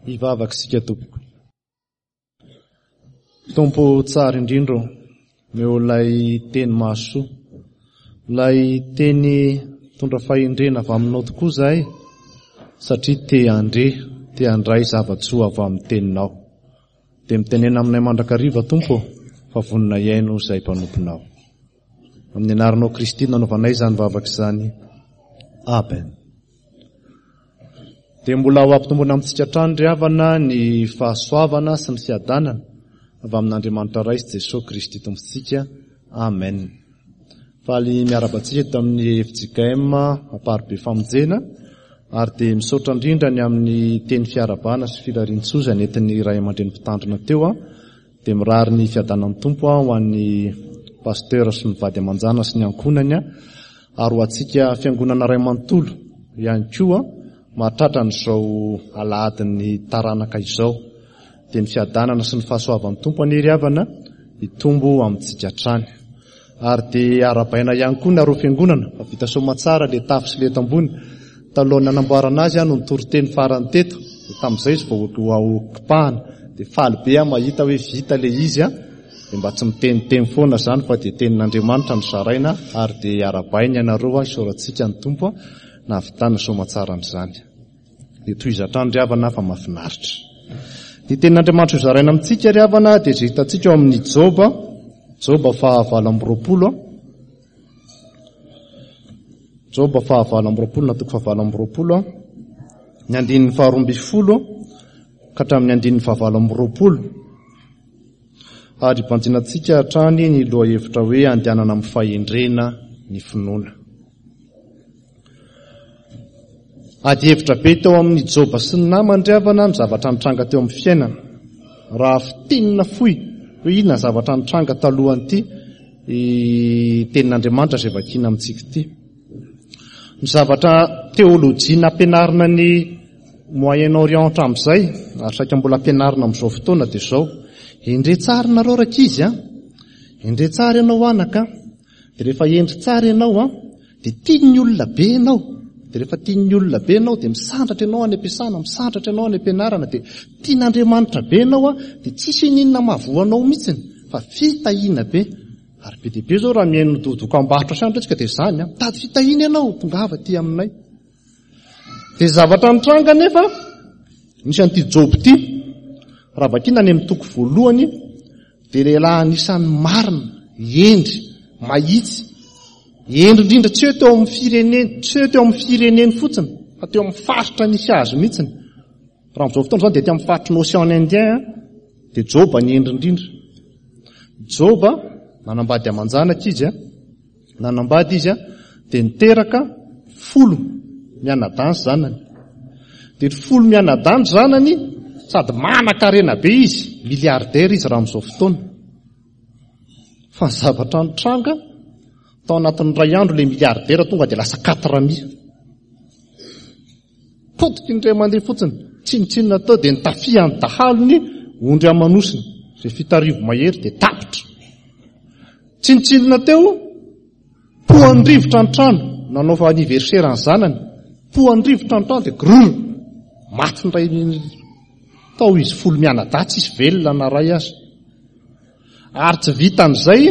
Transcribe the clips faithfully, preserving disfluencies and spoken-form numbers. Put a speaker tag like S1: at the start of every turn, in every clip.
S1: Hivavaka isika tompoko. Tompo tsara indrindra ô, omeo ilay teny mahasoa, ilay teny mitondra fahendrena avy aminao tokoa izahay, satria te handre, te handray zava-tsoa avy amin'ny teninao. Dia mitenena aminay mandrakariva Tompo ô, fa vonona hihaino izahay mpanomponao. Amin'ny anaranao Kristy no nanaovanay izany vavaka izany. Amen. Dia mbola ho ampitomboina amintsika hatrany ry havana ny fahasoavana sy ny fiadanana avy amin'Andriamanitra Ray sy Jesoa Kristy Tompontsika. Amen. Faly miarahaba antsika eto amin'ny F J K M Amparibe Famonjena ary dia misaotra indrindra ny amin'ny teny fiarahabana sy firarian-tsoa izay nentin'ny ray aman-dreny mpitandrina teo. Dia mirary ny fiadanan'ny Tompo ho an'ny pasteur sy ny vady aman-jana sy ny ankohonany ary ho antsika fiangonana ray manontolo ihany koa mahatratra an'izao alahadin'ny taranaka izao. Dia ny fiadanana sy ny fahasoavan'ny Tompo anie ry havana hitombo amintsika hatrany. Ary dia arahabaina ihany koa nareo fiangonana fa vita soamatsara le tafo sy le tambony. Talohan'ny nanamboarana azy no nitory-teny farany teto, dia tamin'izay izy vao ho kipahana. Dia faly be aho mahita hoe vita le izy a, dia mba tsy miteniteny foana izany fa dia tenin'Andriamanitra no zaraina ary dia arahabaina ianareo a, isaorantsika ny Tompo a, nahavitana soamatsara an'izany. Dia tohizo hatrany ry havana fa mahafinaritra. Ny tenin'Andriamanitra ho zaraina amintsika ry havana dia izay hitantsika ao amin'ny Joba, Joba fahavalo amby roapolo. Joba fahavalo amby roapolo na toko fahavalo amby roapolo, ny andininy faharoa ambin'ny folo ka hatramin'ny andininy fahavalo amby roapolo. Ary banjinantsika hatrany ny lohahevitra hoe andehanana amin'ny fahendrena ny finoana. Ady hevitra be teo amin'ny Joba sy ny namany ry havana ny zavatra nitranga teo amin'ny fiainana. Raha fintinina fohy hoe inona ny zavatra nitranga talohan'ity tenin'Andriamanitra izay vakiana amintsika ity. Ny zavatra teolojia nampianarina ny Moyen-Orient hatramin'izay, ary saika mbola ampianarina amin'izao fotoana dia izao. Endre tsara nareo rankizy a, endre tsara ianao anaka, dia rehefa hendry tsara ianao a, dia tian'ny olona be ianao. Dia rehefa tian'ny olona be ianao dia misandratra ianao any am-piasana, misandratra ianao any am-pianarana, dia tian'Andriamanitra be ianao a, dia tsisy ininona mahavoa anao mihitsiny fa fitahiana be. Ary be dia be izao raha mihaino dokam-barotra sy andro isika dia izany a, mitady fitahiana ianao, tongava aty aminay. Dia zavatra nitranga nefa misy an'ity Joba ity, raha vakiana any amin'ny toko voalohany dia lehilahy anisan'ny marina, hendry, mahitsy, hendry indrindra tsy hoe teo amin'ny fireneny, tsy hoe teo amin'ny fireneny fotsiny, fa teo amin'ny faritra nisy azy mihitsiny. Raha amin'izao fotoana izao dia teo amin'ny faritry ny Océan Indien dia Joba ny hendry indrindra. Joba nanambady aman-janaka izy a, nanambady izy a, dia niteraka folo mianadahy ny zanany. Dia folo mianadahy ny zanany sady manan-karena be izy, milliardaire izy raha amin'izao fotoana. Fa ny zavatra nitranga tao anatin'ny iray andro ilay milliardaire tonga dia lasa quatre mille. Potika indray mandeha fotsiny, tsinontsinona tao dia nitafihan'ny dahalony ondry aman'osiny, izay fito arivo mahery dia tapitra. Tsinontsinona teo, pohan'ny rivotra ny trano, nanao anniversaire ny zanany, pohan'ny rivotra ny trano dia grrr, maty indray tao izy folo mianadahy, tsisy velona na ray aza. Ary tsy vitan'izay,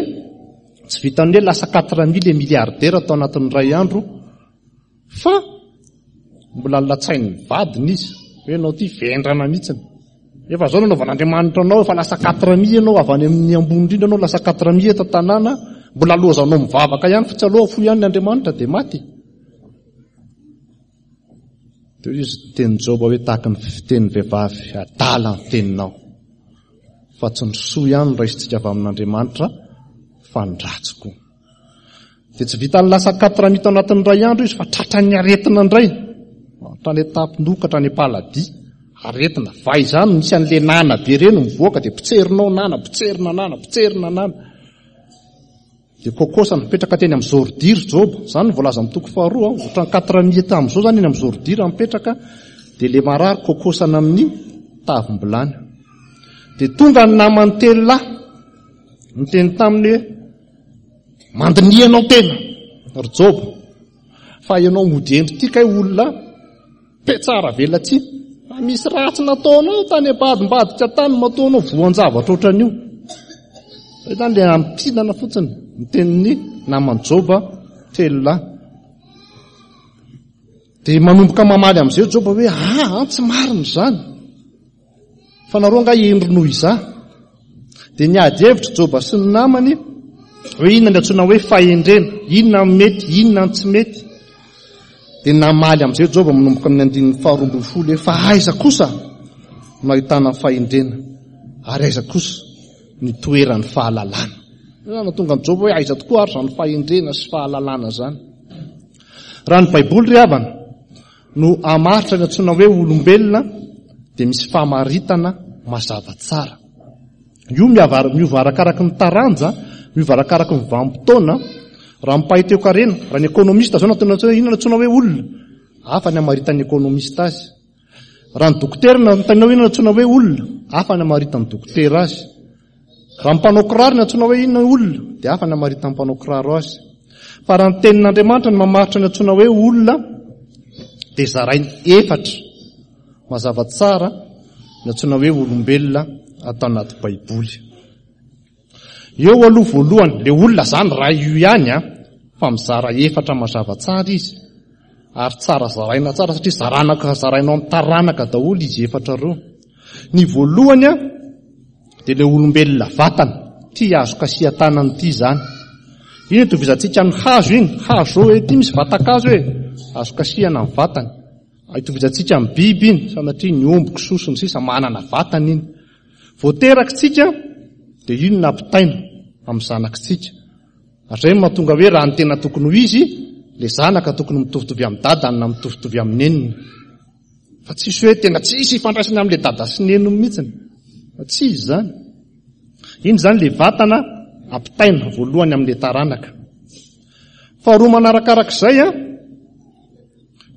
S1: tsy vitan'ny hoe lasa quatre mille milliardaire tao anatin'ny iray andro, fa mbola latsain'ny vadiny izy, hoe ianao ity vendrana mihitsiny. Efa zao nanaovan'Andriamanitra anao, efa lasa quatre mille ianao, avy any amin'ny ambony indrindra ianao, lasa quatre mille eto an-tanàna, mbola lozanao mivavaka ihany, fa tsy aloha fo ihany ny Andriamanitra dia maty. Teo izy niteny Joba hoe tahaka ny fitenin'ny vehivavy adala ny teninao, fa tsy ny soa ihany no raisintsika avy amin'Andriamanitra fa ny ratsy koa. Dia tsy vitan'ny lasa quatre mille tao anatin'ny iray andro izy fa tratran'ny aretina indray, hatrany an-tampon-doha ka hatrany am-paladia. Aretina vay izany, misy an'ilay nana be ireny mivoaka dia potserinao nana, potserina nana, potserina nana. Dia kokosa mipetraka teny amin'ny zordira Joba, izany no voalaza amin'ny toko faharoa, ohatran'ny quatre mille tamin'izao izany eny amin'ny zordira mipetraka, dia ilay marary kokosana amin'ny tavim-bilany. Dia tonga ny namany telo lahy, niteny taminy hoe mandiniha anao tena ry Joba, fa ianao mody hendry ity kay olona petsara velatsihy, Fa misy ratsy nataonao tany ambadimbadika tany mataonao voan-javatra ohatran'io. Zay zany le ampinana fotsiny ny tenin'ny naman'i Joba telo lahy. Dia manomboka mamaly amin'izay Joba hoe ah, tsy marina izany. Fa nareo angaha hendry noho izaho. Dia niady hevitra Joba sy ny namany hoe inona ny antsoina hoe fahendrena, inona ny mety, inona ny tsy mety. Dia namaly amin'izay Joba manomboka amin'ny andininy faharoa ambin'ny folo hoe fa aiza kosa no ahitana ny fahendrena ary aiza kosa ny toeran'ny fahalalana. Io no tonga an'i Joba hoe aiza tokoa ary izany fahendrena sy fahalalana izany. Raha ny Baiboly ry havana no hamaritra ny antsoina hoe olombelona dia misy famaritana mazava tsara. Io miova arakaraky ny taranja, miova arakaraky ny vanim-potoana. Raha mpahay toekarena, raha ny ekonomista zao no atao hoe inona antsoina hoe olona, hafa ny hamaritan'ny ekonomista azy. Raha ny dokotera no anontaniana hoe inona antsoina hoe olona, hafa ny hamaritan'ny dokotera azy. Raha ny mpanao kiraro no antsoina hoe inona olona, dia hafa ny hamaritan'ny mpanao kiraro azy. Fa raha ny tenin'Andriamanitra no mamaritra ny antsoina hoe olona, dia zarainy efatra mazava tsara ny antsoina hoe olombelona atao anaty Baiboly. Eo aloha voalohany, le olona zany raha io ihany a, fa mizara efatra mazava tsara izy. Ary tsara zaraina tsara satria zaranaka zarainao amin'ny taranaka daholo izy efatra ireo. Ny voalohany a, dia le olombelona vatana, ty azo kasihan-tanana ity zany. Iny itovizantsika amin'ny hazo iny, hazo hoe ty misy vatan-kazo hoe azo kasihana amin'ny vatany. Itovizantsika amin'ny biby iny, sanatria ny omby, kisoa sy ny sisa manana vatana iny. Voaterakitsika dia iny nampitaina amin'ny zanakitsika. Ary izay no mahatonga hoe raha ny tena tokony ho izy, le zanaka tokony mitovitovy amin'ny dadany na mitovitovy amin'ny neniny. Fa tsisy hoe tena tsisy ifandraisany amin'le dada sy neniny mihitsiny. Fa tsy izy zany. Iny zany le vatana ampitaina voalohany amin'le taranaka. Faharoa manarakarak'izay a,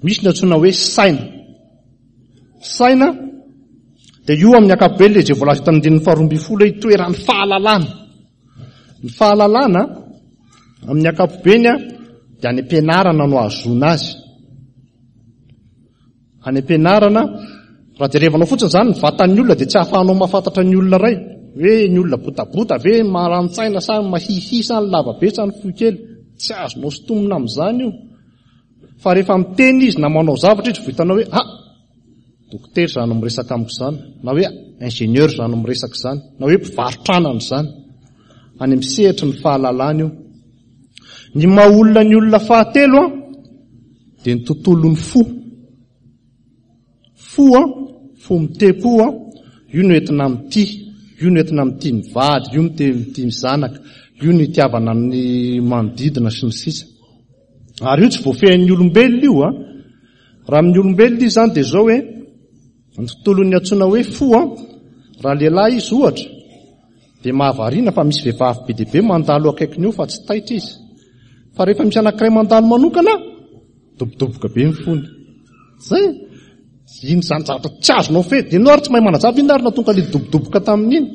S1: misy ny antsoina hoe saina. Saina dia io amin'ny ankapobeny le izay voalaza eto amin'ny andininy faharoa ambin'ny folo hoe itoeran'ny fahalalana. Ny fahalalana amin'ny ankapobeny a dia any am-pianarana no ahazoana azy. Any am-pianarana, raha jerevanao fotsiny zany ny vatan'ny olona dia tsy ahafahanao mahafantatra ny olona iray. Hoe ny olona botabota ve, maran-tsaina sa mahihi sa ny lava be sa ny fohy kely. Tsy azonao sintomina amin'izany io. Fa rehefa miteny izy na manao zavatra izy vao hitanao hoe ah, dokotera izany miresaka amiko izany, na hoe ingénieur izany miresaka izany, na hoe mpivarotra anana izany. Any amin'ny sehatry ny fahalalana io. Ny maha olona ny olona fahatelo a, dia ny tontolon'ny fo. Fo a, fo mitepo a, io no entina mitia, io no entina mitia ny vady, io no mitia ny zanaka, io no itiavana ny manodidina sy ny sisa. Ary io tsy voafehin'ny olombelona io a. Raha amin'ny olombelona izy zany dia zao hoe ny tontolon'ny antsoina hoe fo a, raha lehilahy izy ohatra dia mahavariana fa misy vehivavy be dia be mandalo akaikiny eo fa tsy taitra izy. Fa rehefa misy anankiray mandalo manokana, dobodoboka be ny fony. Zay. Iny zany zavatra tsy azonao fe. Dia ianao ary tsy mahay manazava inona ary nahatonga ilay dobodoboka tamin'iny.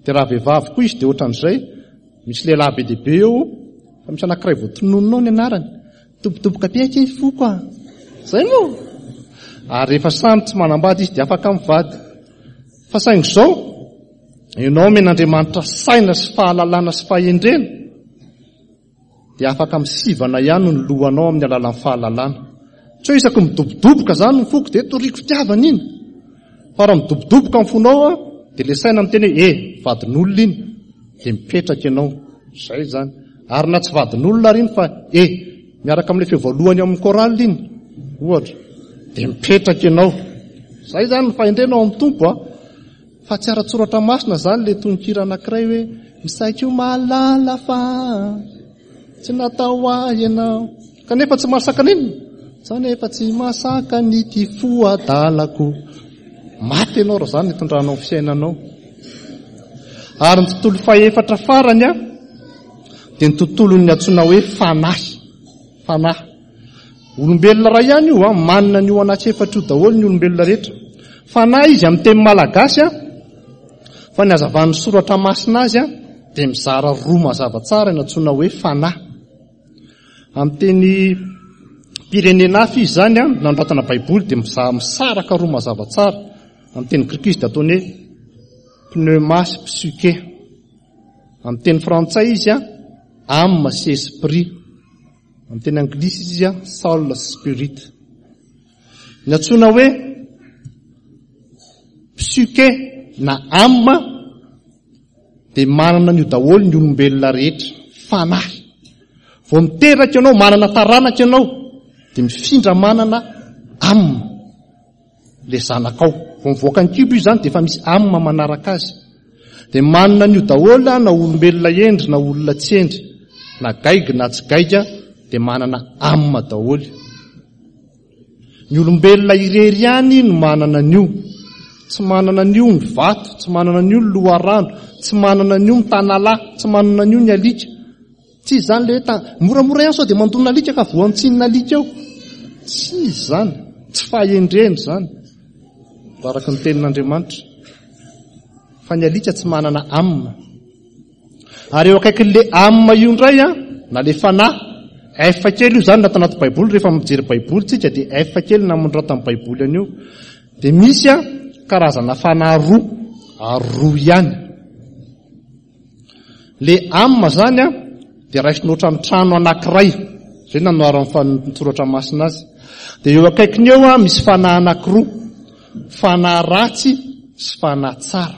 S1: Dia raha vehivavy koa izy dia ohatran'izay, misy lehilahy be dia be eo, fa misy anankiray voatononinao ny anarany. Dobodoboka be aky ny foko a. Zay moa. Ary rehefa samy tsy manambady izy dia afaka mivady. Fa saingy izao, ianao omen'Andriamanitra saina sy fahalalana sy fahendrena, dia afaka misivana ihany ny lohanao amin'ny alalan'ny fahalalana. Tsy hoe isaky midobodoboka zany ny foko dia toriko fitiavana iny. Fa raha midobodoboka ny fonao a, dia le saina miteny hoe eh, vadin'olona iny, dia mipetraka ianao. Zay zany. Ary na tsy vadin'olona ary iny fa eh, miaraka amin'ilay feo voalohany ao amin'ny chorale iny, ohatra, dia mipetraka ianao. Zay zany ny fahendrena ao amin'ny Tompo a. Fa tsy ara-tsoratra masina zany le tononkira anankiray hoe misaiko mahalala fa tsy natao ahy ianao. Kanefa tsy mahasaka n'inona. Zany efa tsy mahasaka ny ty fo adalako. Maty ianao raha zany nitondranao ny fiainanao. Ary ny tontolo fahefatra farany a, dia ny tontolon'ny antsoina hoe fanahy. Fanahy. Olombelona iray ihany io a, manana an'io anaty efatra io daholo ny olombelona rehetra. Fanahy izy amin'ny teny malagasy a, fa ny hazavan'ny soratra masina azy a, dia mizara roa mazava tsara ny antsoina hoe fanahy. Amin'ny teny Pirenena hafa izy zany a, nanoratana Baiboly dia misaraka roa mazava tsara. Amin'ny teny grika izy dia ataony hoe pneuma sy psyche. Amin'ny teny frantsay izy a, âme sy esprit. Amin'ny teny anglisy izy a, soul sy spirit. Ny antsoina hoe psyche na âme dia manana an'io daholo ny olombelona rehetra, fanahy. Vao miteraka ianao, manana taranaka ianao, dia mifindra manana âme le zanakao. Vao mivoaka ny kibo izy zany dia efa misy âme manaraka azy. Dia manana an'io daholo na olombelona hendry na olona tsy hendry, na gaigy na tsy gaigy, dia manana âme daholo. Ny olombelona irery ihany no manana an'io. Tsy manana an'io ny vato, tsy manana an'io ny loharano, tsy manana an'io ny tanalahy, tsy manana an'io ny alika. Tsy izy zany le hoe moramora ihany sao dia mandona alika ka voantsinina alika eo. Tsy izy zany, tsy fahendrena zany, araka ny tenin'Andriamanitra. Fa ny alika tsy manana âme. Ary eo akaikin'le âme io indray a, na le fanahy, F kely io zany natao anaty Baiboly. Rehefa mijery Baiboly tsika dia F kely namonoratan'ny Baiboly an'io. Dia misy a karazana fanahy roa, ary roa ihany. Le âme zany a dia raisina ohatran'ny trano anankiray, zay nanoaran'ny soratra masina azy. Dia eo akaikiny eo a misy fanahy anankiroa, fanahy ratsy sy fanahy tsara.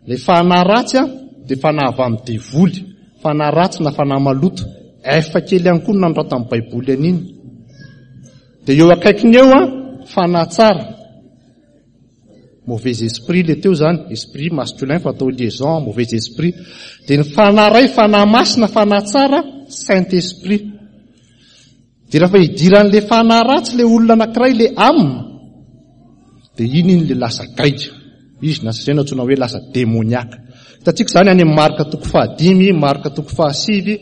S1: Le fanahy ratsy a dia fanahy avy amin'ny devoly, fanahy ratsy na fanahy maloto. F kely ihany koa no nanoratan'ny Baiboly an'iny. Dia eo akaikiny eo a fanahy tsara, mauvais esprit le teo zany, esprit masculin fa atao liaison mauvais esprit. Dia ny fanahy ray, fanahy masina, fanahy tsara, saint esprit. Dia rehefa idiran'le fanahy ratsy le olona anankiray, le âme, dia iny iny le lasa gaigy izy, na zay no antsoina hoe lasa démoniaque. Hitantsika zany any amin'ny Marka toko fahadimy, Marka toko fahasivy,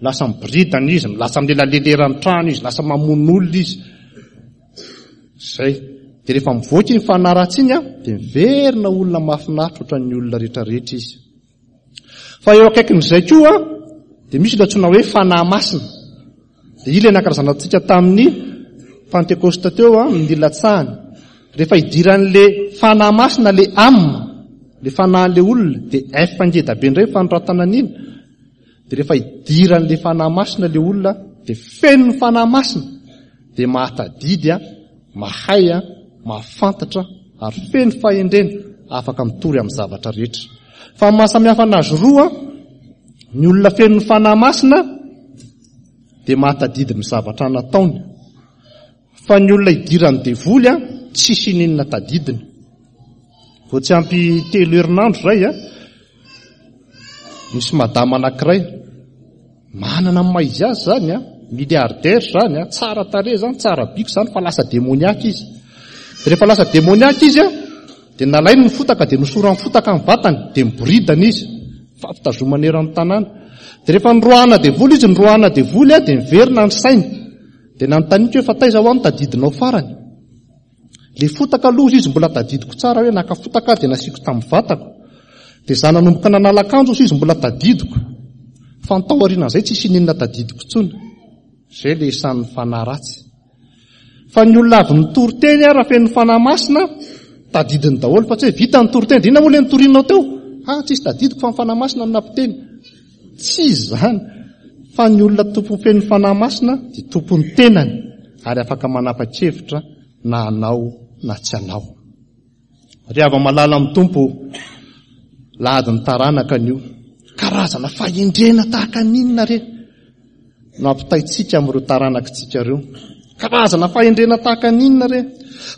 S1: lasa miboridana izy, lasa milelalelerany trano izy, lasa mamono olona izy. Zay. Dia rehefa mivoaka iny fanahy ratsy iny a, dia miverina olona mahafinaritra ohatran'ny olona rehetrarehetra izy. Fa eo akaikin'izay koa dia misy ilay antsoina hoe fanahy masina. Dia io ilay nankalazantsika tamin'ny Pentekosta teo a, ny nilatsahany. Rehefa idiran'le fanahy masina le âme, le fanahin'le olona, dia F ngeda be indray fanoratana an'iny. Dia rehefa idiran'le fanahy masina le olona, dia feno ny fanahy masina, dia mahatadidy a, mahay a, mahafantatra ary feno fahendrena, afaka mitory amin'ny zavatra rehetra. Fa ny mahasamihafa anazy roa, ny olona feno ny fanahy masina dia mahatadidy ny zavatra nataony. Fa ny olona idiran'ny devoly a, tsisy ininona tadidiny. Vao tsy ampy telo herinandro zay a, misy madama anankiray manana ny maha izy azy zany a, milliardaire zany a, tsara tarehy zany, tsara biko zany, fa lasa démoniaque izy. Rehefa lasa démoniaque izy a, dia nalainy ny fotaka, dia nosorany fotaka ny vatany, dia miboridana izy, fampitazomana eran'ny tanàna. Dia rehefa noroahana devoly izy, noroahana devoly a, dia miverina ny sainy. Dia nanontaniako hoe fa taiza ho aho no tadidinao farany? Le fotaka aloha izy mbola tadidiko tsara hoe naka fotaka dia nasiako tamin'ny vatako. Dia za nanomboka nanala akanjo izy mbola tadidiko. Fa ny tao aorianan'izay tsisy ininona tadidiko intsony. Zay le isan'ny fanahy ratsy. Fa ny olona avy nitory teny a, raha feno fanahy masina, tadidiny daholo, fa tsy hoe vita ny tory teny, dia inona moa le nitorinao teo? Ah, tsisy tadidiko fa ny fanahy masina no nampiteny. Tsy izy zany. Fa ny olona tompony feno fanahy masina dia tompon'ny tenany ary afaka manapa-kevitra na hanao na tsy hanao. Ry hava-malala amin'ny Tompo, lahadin'ny taranaka an'io. Karazana fahendrena tahaka n'inona re no ampitaintsika amin'ireo taranakitsika ireo? Karazana fahendrena tahaka n'inona re?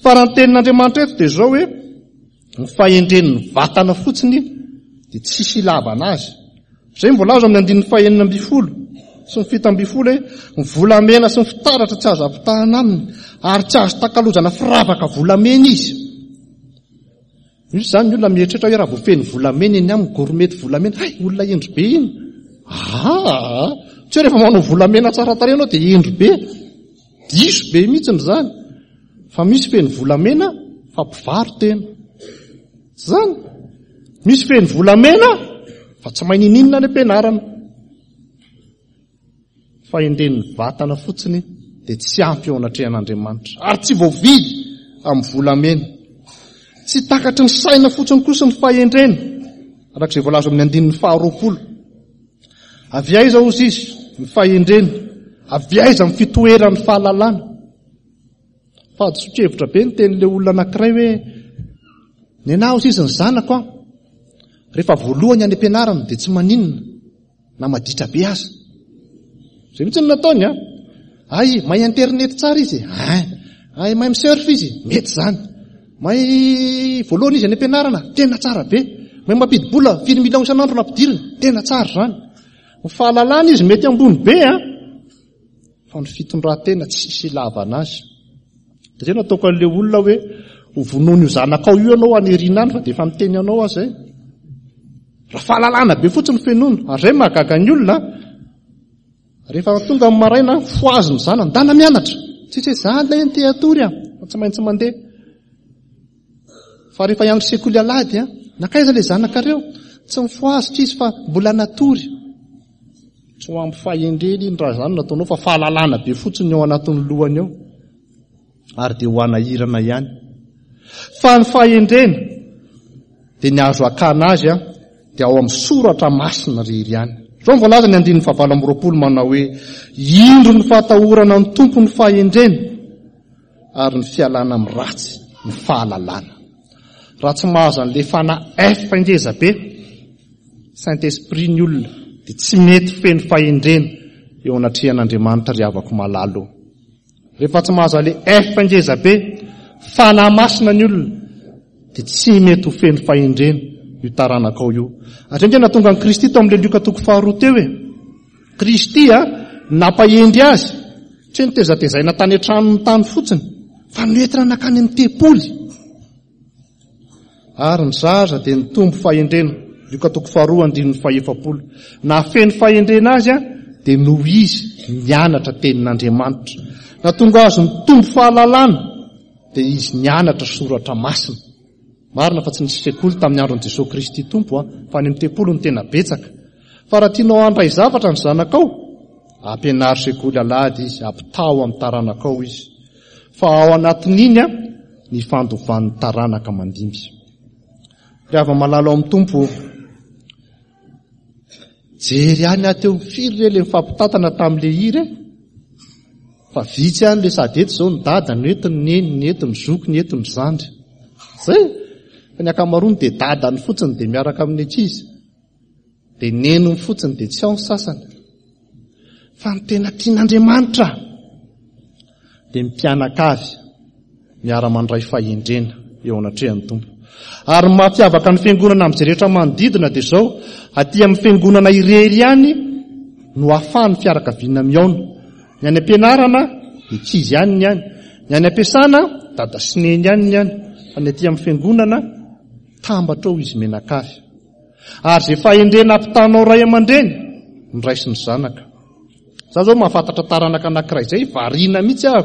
S1: Fa raha ny tenin'Andriamanitra eto dia izao hoe ny fahendren'ny vatana fotsiny dia tsisy ilavana azy. Izay mbola azo amin'ny andininy fahenina ambin'ny folo sy ny fito ambin'ny folo hoe ny volamena sy ny fitaratra tsy azo ampitahana aminy ary tsy azo takalozana firavaka volamena izy. Misy zany ny olona mieritreritra hoe raha vao feno volamena eny aminy, gourmette volamena, hay olona hendry be iny. Ah, tsy hoe rehefa manao volamena tsara tarehy ianao dia hendry be. Diso be mihitsy izany. Fa misy feno volamena fa mpivaro-tena. Zany. Misy feno volamena fa tsy mahay nininona any am-pianarana. Fahendren'ny vatana fotsiny dia tsy ampy eo anatrehan'Andriamanitra, ary tsy voavidy amin'ny volamena. Tsy takatry ny saina fotsiny kosa ny fahendrena, araka izay voalaza amin'ny andininy faharoapolo. Avy aiza hozy izy ny fahendrena? Avy aiza ny fitoeran'ny fahalalana? Fahadisoan-kevitra be ny tenin'ilay olona anankiray hoe ny anahy hozy izy ny zanako aho, rehefa voalohany any am-pianarana dia tsy maninona na maditra be aza. Izay mihitsy no nataony a. Ay, mahay internet tsara izy. Ay, ay mahay mi-surf izy, mety izany. Mahay voalohany izy any am-pianarana, tena tsara be. Mahay mampidi-bola, firy million isan'andro nampidirina, tena tsara izany. Ny fahalalana izy mety ambony be a, fa ny fitondran-tena tsisy ilavana azy. Dia zay nataoko an'ilay olona hoe ho vonoiny io zanakao io ianao any aoriana any, fa dia efa miteny anao azy zay. Raha fahalalana be fotsiny fenoina, ary zay mahagaga ny olona. Rehefa tonga amin'ny maraina, fohazy ny zanany, ndana mianatra. Tsisy hoe za ilay te hatory a, fa tsy maintsy mandeha. Fa rehefa hiandry sekoly alahady a, nankaiza ilay zanakareo? Tsy mifohazitra izy fa mbola natory. Tsy ho ampy fahendrena iny raha izany nataonao, fa fahalalana be fotsiny ao anatin'ny lohany ao. Ary dia ho anahirana ihany. Fa ny fahendrena dia ny azo akana azy a, dia ao amin'ny soratra masina rery ihany. Izao no voalaza ny andininy fahavalo amby roapolo manao hoe indro ny fahatahorana ny Tompo ny fahendrena, ary ny fialana amin'ny ratsy ny fahalalana. Raha tsy mahazo an'ilay fanahy F ngeza be, Saint-Esprit ny olona, dia tsy mety feno fahendrena eo anatrehan'Andriamanitra ry havako malalo. Rehefa tsy mahazo an'ilay F ngeza be, fanahy masina ny olona, dia tsy mety ho feno fahendrena io taranakao io. Ary ange nahatonga an'i Kristy tao amin'ilay Lioka toko faharoa teo e. Kristy a nampahendry azy, tsy hoe nitezatezaina tany an-tranony tany fotsiny, fa noentina nankany amin'ny tempoly. Ary ny zaza dia nitombo fahendrena. Lioka toko faharoa andininy fahefapolo. Nahafeno fahendrena azy a dia noho izy nianatra tenin'Andriamanitra. Nahatonga azy nitombo fahalalana dia izy nianatra soratra masina. Marina fa tsy nisy sekoly tamin'ny andron'i Jesosy Kristy Tompo a, fa any amin'ny tempoly no tena betsaka. Fa raha tianao handray zavatra ny zanakao, ampianaro sekoly alahady izy, ampitao amin'ny taranakao izy. Fa ao anatin'iny a ny fandovan'ny taranaka mandimby. Ry hava-malala ao amin'ny Tompo, jery ihany aho teo, firy re ilay nifampitantana tamin'ilay hira e? Fa vitsy ihany ilay sady eto izao ny dada, ny eto ny neny, ny eto ny zoky, ny eto ny zandry. Zay, fa ny ankamaroany dia dadany fotsiny dia miaraka amin'ny ankizy, dia neniny fotsiny dia tsy ao ny sasany. Fa ny tena tian'Andriamanitra dia ny mpianakavy miara-mandray fahendrena eo anatrehan'ny Tompo. Ary ny mampiavaka ny fiangonana amin'izay rehetra manodidina dia izao, aty amin'ny fiangonana irery ihany no ahafahan'ny fianakaviana mihaona. Ny any am-pianarana, ankizy ihany ny any. Ny any am-piasana, dada sy neny ihany ny any. Fa ny aty amin'ny fiangonana, tambatra ao izy mianakavy. Ary izay fahendrena ampitanao ray aman-dreny, no raisin'ny zanaka. Za zao mahafantatra taranaka anankiray izay, variana mihitsy aho.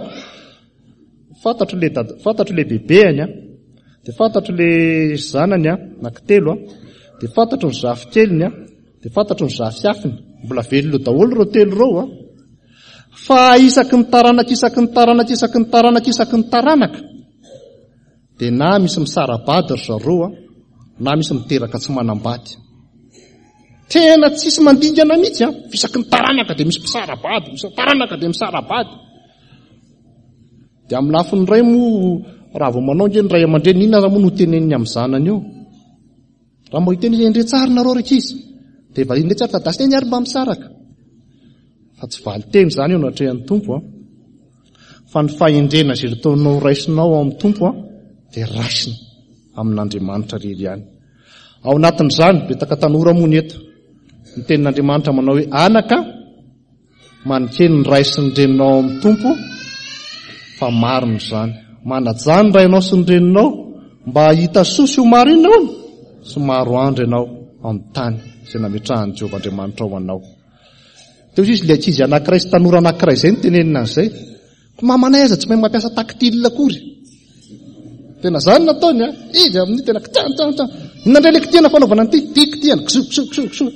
S1: Fantatro le dada, fantatro le bebeany a, dia fantatro le zanany a, anankitelo a, dia fantatro ny zafikeliny a, dia fantatro ny zafiafiny. Mbola velona daholo ireo telo ireo a. Fa isaky ny taranaka, isaky ny taranaka, isaky ny taranaka, isaky ny taranaka, dia na misy misara-bady ry zareo a, na misy miteraka tsy manambady. Tena tsisy mandingana mihitsy a, isaky ny taranaka dia misy mpisara-bady, misy taranaka dia misara-bady. Dia amin'ny lafiny iray moa, raha vao manao nge ny ray aman-dreny, inona aza moa no teneniny amin'ny zanany eo? Raha mba hiteny izy, endrey tsara nareo ry ankizy, dia valiany indray tsara, fa dasy neny ary mba misaraka. Fa tsy valin-teny izany eo anatrehan'ny Tompo a. Fa ny fahendrena izay ataonao raisinao ao amin'ny Tompo a, dia raisina amin'Andriamanitra rery ihany. Ao anatin'izany, betaka tanora moa ny eto. Ny tenin'Andriamanitra manao hoe anaka, manekeny ny ray sy ny reninao ao amin'ny Tompo, fa marina izany. Manaja ny rainao sy ny reninao mba hahita soa sy ho maro inona hono? Sy maro andro ianao amin'ny tany izay nametrahan'i Jehovah Andriamanitra ho anao. Teo izy ilay ankizy anankiray sy tanora anankiray izay no tenenina an'izay. Ko mamanay aza tsy mahay mampiasa tactile akory. Tena zany nataony a. Izy amin'ny tena kitan tan tan. Inona indray ilay kitihana fanaovana an'ity? Ty kitihana, kiso kiso kiso kiso.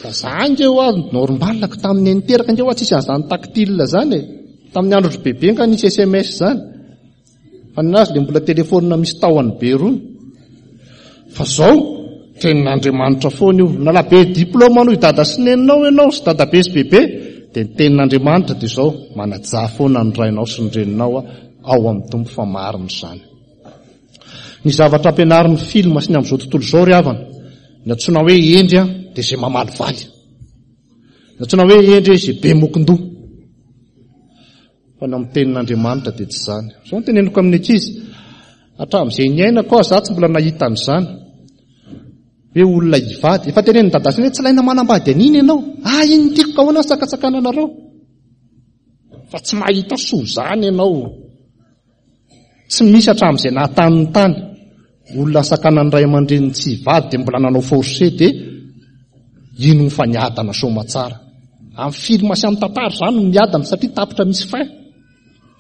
S1: Fa za nge ho azy normal ko tamin'ny niteraka nge ho azy tsisy an'izany tactile zany e. Tamin'ny andro bebe nga nisy S M S izany. Fa ninazy le mbola telefonina misy tahony be rony. Fa zao tenin'Andriamanitra foana io. Na la be diplôme anao i dada sy neninao ianao sy dada be sy bebe, dia ny tenin'Andriamanitra dia zao, manajà foana ny rainao sy ny reninao ao amin'ny Tompo fa marina izany. Ny zavatra ampianarin'ny film sy ny amin'izao tontolo izao ry havana, ny antsoina hoe hendry dia izay mamalivaly. Ny antsoina hoe hendry izay be mokondoha. Fa ny amin'ny tenin'Andriamanitra dia tsy izany. Izao no teneniko amin'ny ankizy, hatramin'izay niainako aho, za tsy mbola nahita an'izany. Hoe olona hivady, efa tenenin'ny dada sy hoe tsy ilaina manambady an'iny ianao. Ah, iny no tiako ka ahoana ny sakatsakananareo? Fa tsy mahita soa izany ianao. Tsy misy hatramin'izay nahatany ny tany. Olona sakanan'ny ray aman-dreniny tsy hivady dia mbola nanao forcé dia ino fa niadana soamatsara. Amin'ny film sy amin'ny tantara izany no miadana satria tapitra misy fin.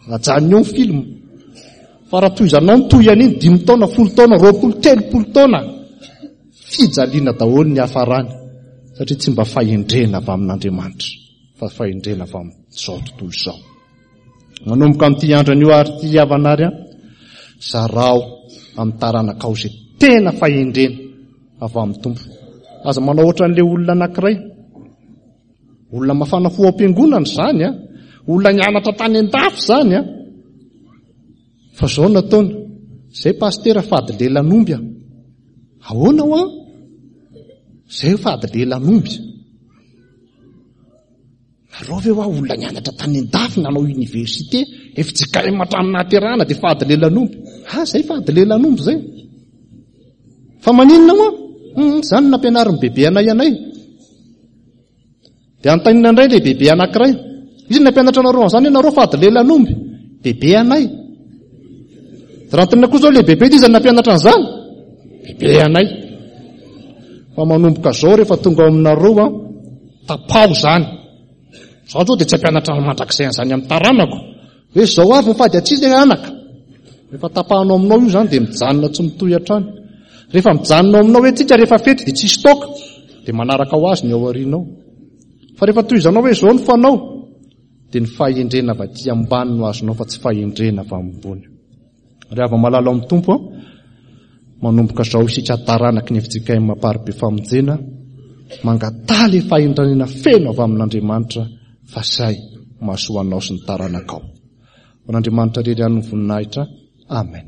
S1: Ajanony eo ny film. Fa raha tohizanao ny toy an'iny dimy taona, folo taona, roapolo, telopolo taona, fijaliana daholo ny hafarany satria tsy mba fahendrena avy amin'Andriamanitra fa fahendrena avy amin'izao tontolo izao. Manomboka amin'ity andro anio ary ity havana ary an, zarao amin'ny taranakao izay tena fahendrena avy amin'ny Tompo. Aza manao ohatran'ilay olona anankiray. Olona mafana fo ao am-piangonana izany an, olona nianatra tany an-dafy izany an. Fa izao nataony, izay pastera fady lelan'omby an. Ahoana ho an? Izay fady lelan'omby. Nareo ve hoa olona nianatra tany an-dafy nanao université, F J K M hatramin'ny nahaterahana dia fady lelan'omby. Ah, izay fady lelan'omby izay. Fa maninona moa? Hmm, izany no nampianarin'ny bebe anay anay. Dia antainina indray ilay bebe anankiray. Izy no nampianatra anareo an'izany, ianareo fady lelan'omby. Bebe anay. Dia raha antainina koa izao ilay bebe, izy no nampianatra an'izany. Bebe anay. Fa manomboka izao rehefa tonga ao aminareo an, tapaho izany. Izaho izao dia tsy hampianatra mandrakizay an'izany amin'ny taranako. Hoe izao avy mifady atsy ilay anaka. Rehefa tapahanao aminao io izany dia mijanona tsy mitohy hatrany. Rehefa mijanona ao aminao hoe tsika rehefa fety dia tsisy toaka, dia manaraka ho azy ny ao aorianao. Fa rehefa tohizanao hoe izao no fanao, dia ny fahendrena avy aty ambany no azonao fa tsy fahendrena avy ambony. Ry hava malala ao amin'ny Tompo, manomboka izao isika taranaky ny F J K M Amparibe Famonjena, mangataha ilay fahendrena feno avy amin'Andriamanitra fa izay mahasoa anao sy ny taranakao. Ho an'Andriamanitra irery ihany ny voninahitra. Amen.